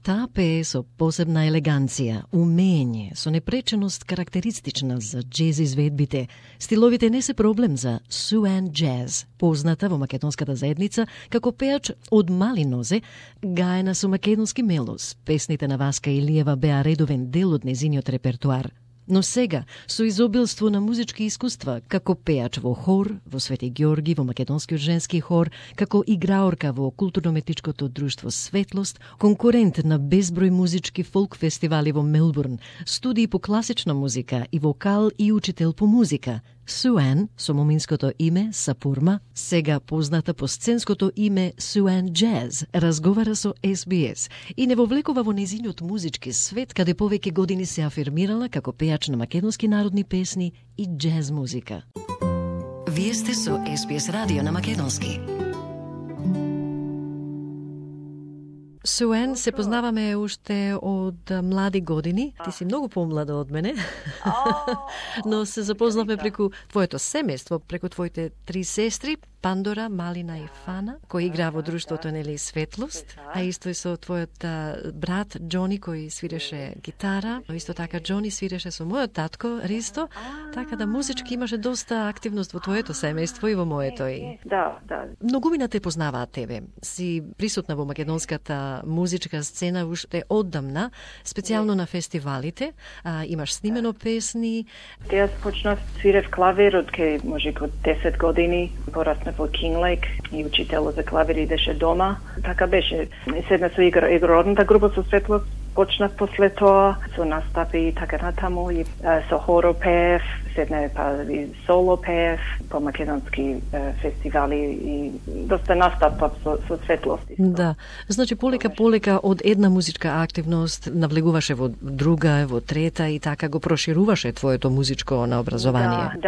Таа пее со посебна елеганција, умење, со непреченост карактеристична за джез изведбите. Стиловите не се проблем за Sue Ann Jazz, позната во македонската заедница како пеач од мали нозе, гаена со македонски мелос. Песните на Васка Илиева беа редовен дел од незиниот репертоар. Но сега, со изобилство на музички искуства, како пеач во хор, во Свети Ѓорги, во македонскиот женски хор, како играорка во културно-метичкото друштво Светлост, конкурент на безброј музички фолк фестивали во Мелбурн, студии по класична музика и вокал и учител по музика, Sue Ann, со моминското име Сапурма, сега позната по сценското име Sue Ann Jazz, разговара со SBS и не вовлекува во незиниот музички свет, каде повеќе години се афирмирала како пеач на македонски народни песни и джез музика. Вие сте со SBS радио на македонски. Sue Ann, се познаваме уште од млади години. Ти си многу помлада од мене. Но се запознавме преку твоето семејство, преку твоите 3 сестри, Пандора, Малина и Фана, кои игра во друштвото нели Светлост, а исто и со твојот брат Џони кој свиреше гитара, но исто така Џони свиреше со мојот татко Ристо, така да музички имаше доста активност во твоето семејство и во моето и. Да. Многумина те познаваат тебе. Си присутна во македонската музичка сцена уште оддамна, специјално на фестивалите, имаш снимено песни. Јас почнав свирев клавир од кај можеби од 10 години, пораснав во Кинглейк и учителот за клавир идеше дома. Така беше. Седна со игрорната група со Светлост, почнав после тоа со настапи и така натаму и со хоро пеев, седна па и соло пеев по македонски фестивали и доста настапав со Светлост. Да, значи полека од една музичка активност навлегуваше во друга, во трета и така го прошируваше твоето музичко наобразование.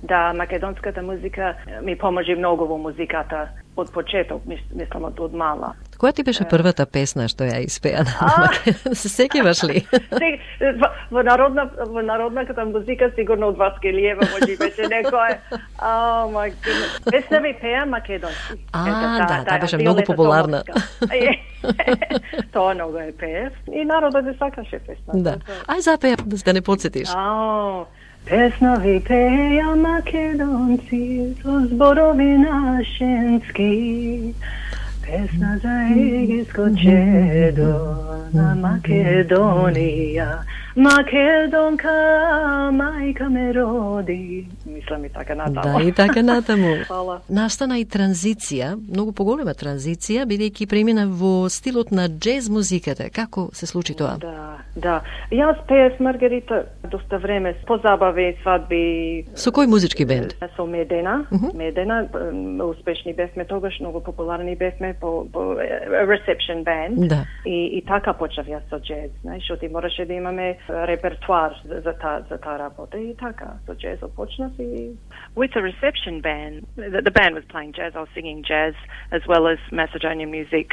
Да, македонската музика ми поможи многу во музиката од почеток, мислам од мала. Која ти беше првата песна што ја испеа на Македонија? Се сеќаваш ли? Во народната музика сигурно од Васка Илиева може беше некој. Oh my goodness. Песна ви пеа македонски. Да, беше многу популарна. Тоа многу е пеев и народот ја сакаше песна. Да. Ај запеа да не подсетиш. Песна ви пеја македонци со зборови нашенски. Песна за егиско чедо на Македонија. Македонка, мајка ме роди. Мислам и така натаму. Да, и така натаму. Фала. Настана и транзиција, многу поголема транзиција, бидејќи премина во стилот на джез музиката. Како се случи тоа? Да. Јас пеев Маргарита доста време, по забави, свадби. Со кој музички бенд? Со Медена. Медена, успешни бевме тогаш, многу популарни бевме по reception band. Да. И така почнав јас со джез, знаеш, ти мораше да имаме репертуар за таа работа и така со джез почнав и with a reception band. The band was playing jazz, I was singing jazz as well as Macedonian music,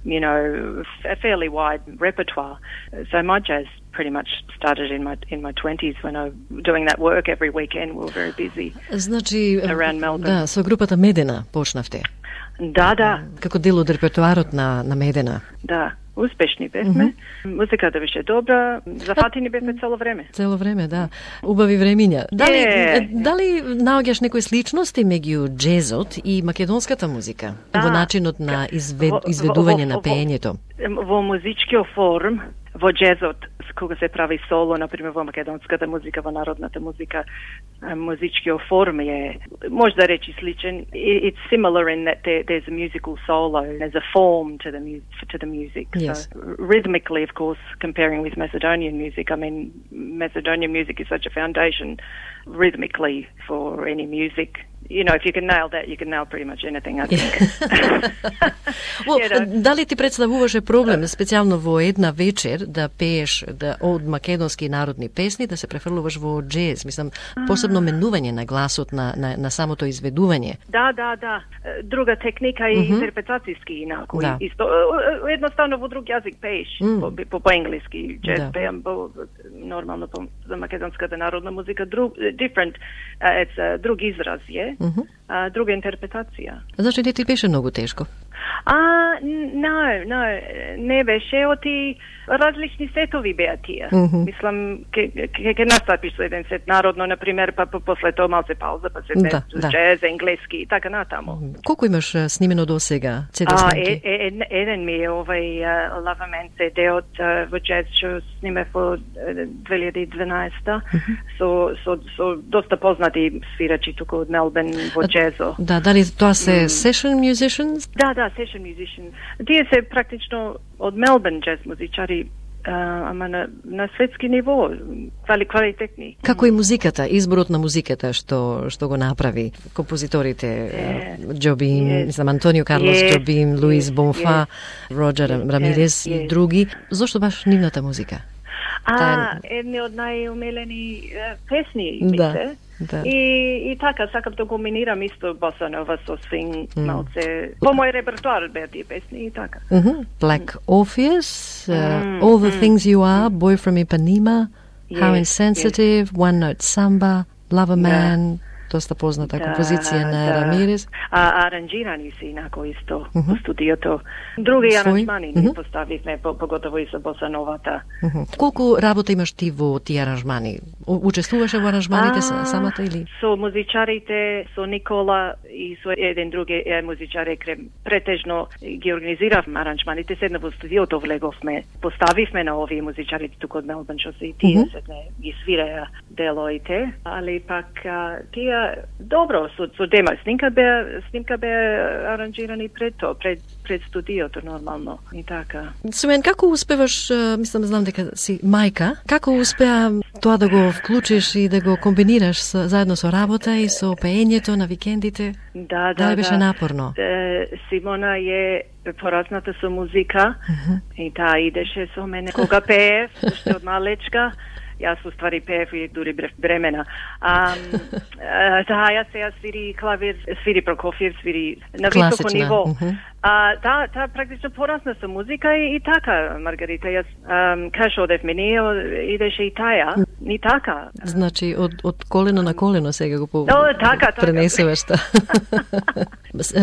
you know, a fairly wide repertoire. So my jazz pretty much started in my 20s when I was doing that work every weekend. We were very busy. Значи, around Melbourne. Да, со групата Медена почнавте. Да. Како дел од репертуарот на Медена. Да. Успешни бевме. Музиката беше добра, зафатени бевме цело време. Цело време, да. Убави времиња. Дали наоѓаш некои сличности меѓу джезот и македонската музика? Во начинот на изведување на пеењето? Во музичкиот форм, во джезот, кога се прави соло, например во македонската музика, во народната музика, музичкиот форм е, може да речи сличен. It's similar in that there's a musical solo, there's a form to the music. Yes. So rhythmically, of course, comparing with Macedonian music, I mean, Macedonian music is such a foundation rhythmically for any music. You know, if you can nail that, you can nail pretty much anything, I think. Дали ти представуваше проблем, специјално во една вечер, да пееш од македонски народни песни, да се префрлуваш во джез? Мислам, посебно менување на гласот, на самото изведување. Да. Друга техника и интерпретацијски инаку. Да. Едноставно во друг јазик пееш, по енглиски джез пеам, нормално за македонската народна музика, different, it's друг израз е. Друга интерпретација. Зашто не ти беше многу тешко? Не беше оти различни сетови беа тие. Мислам, ке настапиш со еден сет народно, например, па после тоа малце пауза, па се джез, енглески и така натаму. Колку имаш снимено до сега CD снимки? Еден ми е овај Lavaman CD во джез што снимев во 2012 со доста познати свирачи туку од Мелбурн во джезо. Да, дали тоа се session musicians? Да, session musicians. Тие се практично од Мелбурн джез музичари, ама на светски ниво, квалитетни. Како и музиката, изборот на музиката што го направи композиторите Джобим, Антонио Карлос Джобим, Луис Бонфа, Роджер Рамирес и други. Зошто баш нивната музика? Едни од најумелени песни, мисле. Да. И така, сакам да комбинирам исто боса нова со свинг, малце. По мој репертуар беа тие песни и така. Black Orpheus, All the Things You Are, Boy from Ipanema, How Insensitive, One Note Samba, Lavaman, доста позната композиција на Рамирес. Аранжирани си инако исто во студиото. Други аранжмани не поставивме, поготово и со боса новата. Колку работа имаш ти во тие аранжмани? Учествуваше во аранжманите самата или? Со музичарите, со Никола и со еден други музичари, претежно ги организиравме аранжманите, седна во студиото влеговме, поставивме на овие музичари туку од Мелбурн, што се и тие седне ги свираја делоите, али пак тие добро со демо снимка беа аранжирани пред студиото нормално и така. Суен, како успеваш, знам дека си мајка, како успеа тоа да го вклучиш и да го комбинираш заедно со работа и со пеењето на викендите? Да, беше напорно. Симона е поразната со музика и таа идеше со мене кога пеев, уште од малечка. Јас уствари пеев и дури бремена. Ја сега свири клавир, свири Прокофиев, свири на високо ниво. Таа практично порасна со музика и така, Маргарита. Јас каш одевме ние, идеше и таја. И така. Значи, од колено на колено сега го пренесуваш.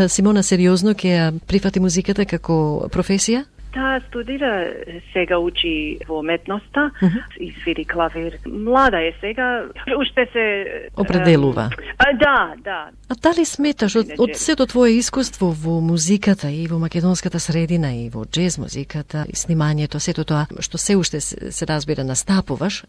Симона, сериозно ќе прифати музиката како професија? Таа студира, сега учи во уметноста и свири клавир. Млада е сега, уште се определува. Да. А дали сметаш од сето твое искуство во музиката и во македонската средина и во джез музиката и снимањето, сето тоа што се уште се разбира настапуваш,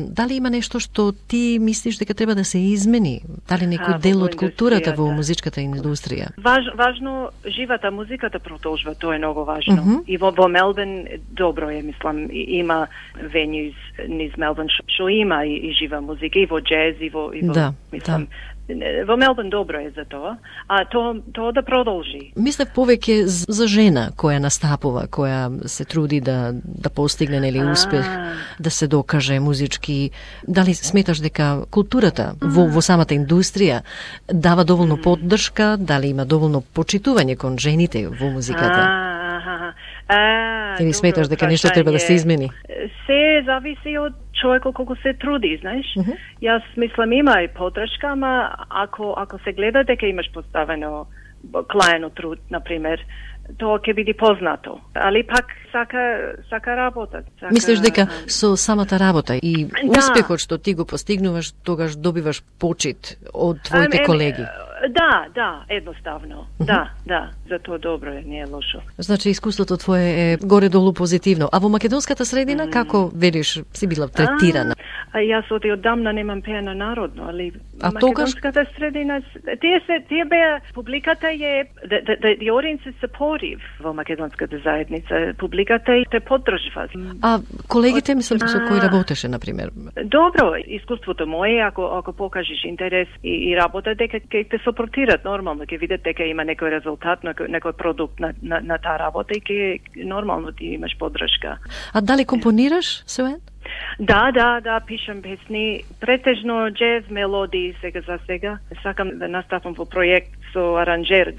дали има нешто што ти мислиш дека треба да се измени? Дали некој дел од културата во музичката индустрија? Важно живата музиката продолжува, тоа е многу важно. И во Мелбурн добро е, мислам, има венјуз низ Мелбурн што има и жива музика, и во джез, и во мислам, во Мелбурн добро е за тоа, а тоа да продолжи. Мислев повеќе за жена која настапува, која се труди да постигне нели успех, да се докаже музички. Дали сметаш дека културата во самата индустрија дава доволно поддршка, дали има доволно почитување кон жените во музиката? Или сметаш дека нешто треба да се измени? Се зависи од човекот колку се труди, знаеш. Јас мислам има и поддршка, ама ако се гледа дека имаш поставено клаено труд, например, тоа ќе биде познато. Али пак сака работа. Мислиш дека со самата работа и успехот што ти го постигнуваш, тогаш добиваш почит од твоите колеги? Да, едноставно. Да, за тоа добро е, не е лошо. Значи, искуството твое е горе-долу позитивно. А во македонската средина, како велиш, си била третирана? Јас одамна немам пеено народно, али македонската средина, тие беа, публиката е, the audience is supportive во македонската заедница. Публиката те поддржува. А колегите, мислам, со кои работеше, например? Добро, искуството мое, ако покажеш интерес и работа, дека ќе те сопортират нормално, ќе видат дека има некој резултат, некој продукт на таа работа и ќе нормално ти имаш поддршка. А дали компонираш, Суен? Да, пишам песни, претежно джез мелодии сега. Сакам да настапам во проект со аранжер,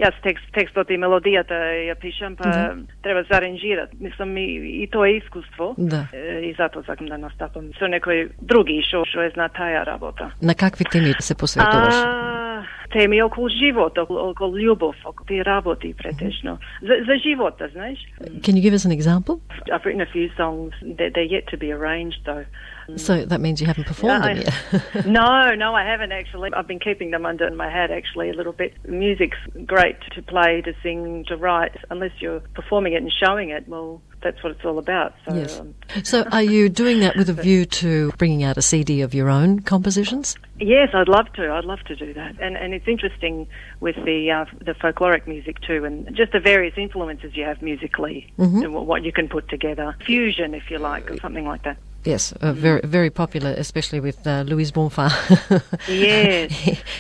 јас текстот и мелодијата ја пишам, па треба да аранжират. Мислам и тоа е искуство. И затоа сакам да настапам со некој други што е зна таа работа. На какви теми се посветуваш? теми околу живот, околу љубов, околу тие работи претежно. За живота, знаеш. Can you give us an example? I've written a few songs. They're yet to be arranged, though. So that means you haven't performed them yet. No, I haven't actually. I've been keeping them under my hat actually a little bit. Music's great to play, to sing, to write. Unless you're performing it and showing it, well, that's what it's all about. So, yes. So are you doing that with a view to bringing out a CD of your own compositions? Yes, I'd love to. I'd love to do that. And it's interesting with the folkloric music too, and just the various influences you have musically, and what you can put together. Fusion, if you like, or something like that. Yes, very very popular, especially with Louis Bonfa. Yes.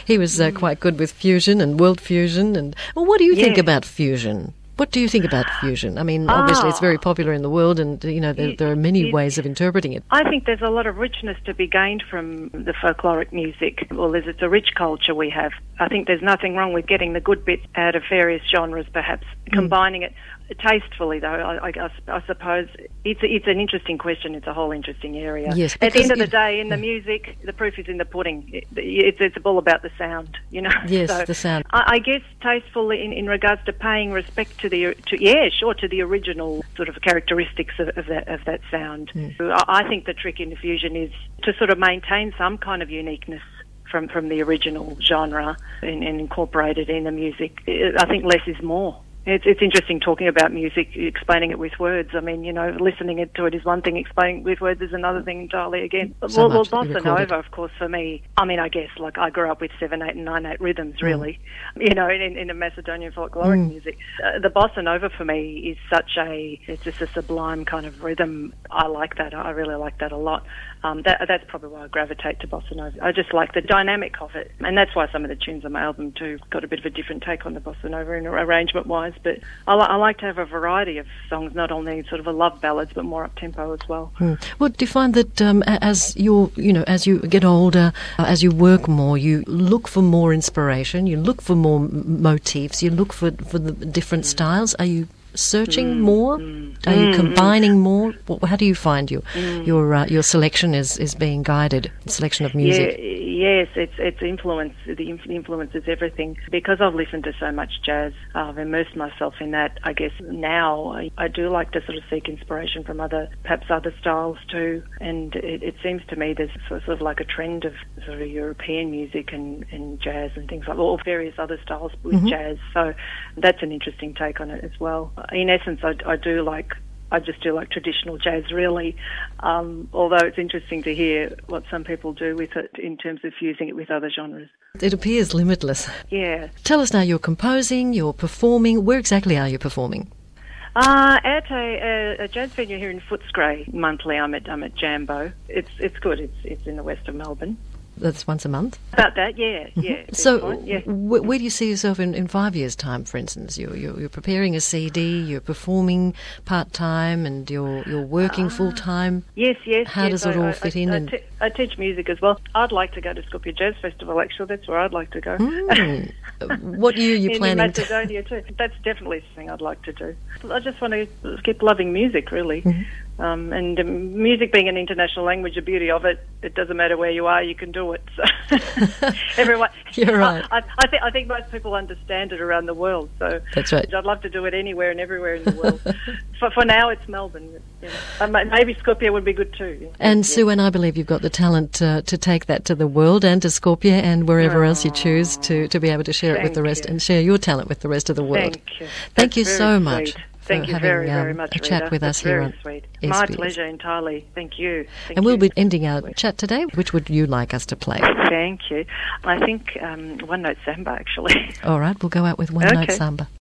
he was quite good with fusion and world fusion. And well, what do you think about fusion? What do you think about fusion? I mean, obviously it's very popular in the world, and there are many ways of interpreting it. I think there's a lot of richness to be gained from the folkloric music. Well, it's a rich culture we have. I think there's nothing wrong with getting the good bits out of various genres, perhaps combining it tastefully. Though I suppose it's an interesting question. It's a whole interesting area. Yes, at the end of the day, in the music, the proof is in the pudding. It's all about the sound, Yes, so the sound. I guess tasteful in regards to paying respect to the original sort of characteristics of that sound. I think the trick in the fusion is to sort of maintain some kind of uniqueness from the original genre and incorporate it in the music. I think less is more. It's interesting talking about music, explaining it with words. I mean, listening to it is one thing, explaining it with words is another thing entirely again. So well, bossa nova, of course, for me, I mean, I guess, like, I grew up with 7/8 and 9/8 rhythms, really, in the Macedonian folkloric music. The bossa nova, for me, is it's just a sublime kind of rhythm. I like that. I really like that a lot. That's probably why I gravitate to bossa nova. I just like the dynamic of it. And that's why some of the tunes on my album, too, got a bit of a different take on the bossa nova in arrangement-wise. But I like to have a variety of songs, not only sort of a love ballads, but more up-tempo as well. Well, do you find that as you get older, as you work more, you look for more inspiration, you look for more motifs, you look for the different styles? Are you searching more? Are you combining more? How do you find your selection is being guided? Selection of music. Yes, it's influence. The influence is everything. Because I've listened to so much jazz, I've immersed myself in that. I guess now I do like to sort of seek inspiration from perhaps other styles too. And it seems to me there's sort of like a trend of sort of European music and jazz and things like that, or various other styles with jazz. So that's an interesting take on it as well. In essence, I just do like traditional jazz, really, although it's interesting to hear what some people do with it in terms of fusing it with other genres. It appears limitless. Yeah. Tell us now, you're composing, you're performing. Where exactly are you performing? At a jazz venue here in Footscray monthly. I'm at Jambo. It's good. It's in the west of Melbourne. That's once a month? About that, yeah. So where do you see yourself in 5 years' time, for instance? You're preparing a CD, you're performing part-time, and you're working full-time? Yes. How does it all fit in? I teach music as well. I'd like to go to Skopje Jazz Festival, actually. That's where I'd like to go. What year are you planning? In Macedonia, too. That's definitely something I'd like to do. I just want to keep loving music, really. And music being an international language, the beauty of it doesn't matter where you are, you can do it. So everyone, you're right. I think most people understand it around the world. So that's right. I'd love to do it anywhere and everywhere in the world. For now, it's Melbourne. Maybe Skopje would be good too. Yeah. And Sue, and I believe you've got the talent to take that to the world and to Skopje and wherever else you choose to be able to share it with the rest and share your talent with the rest of the world. Thank you. Thank you so much. Thank you very, very much, a chat with us here on sweet. SBS. My pleasure entirely. Thank you. And we'll be ending our chat today. Which would you like us to play? Thank you. I think One Note Samba, actually. All right, we'll go out with One Note Samba.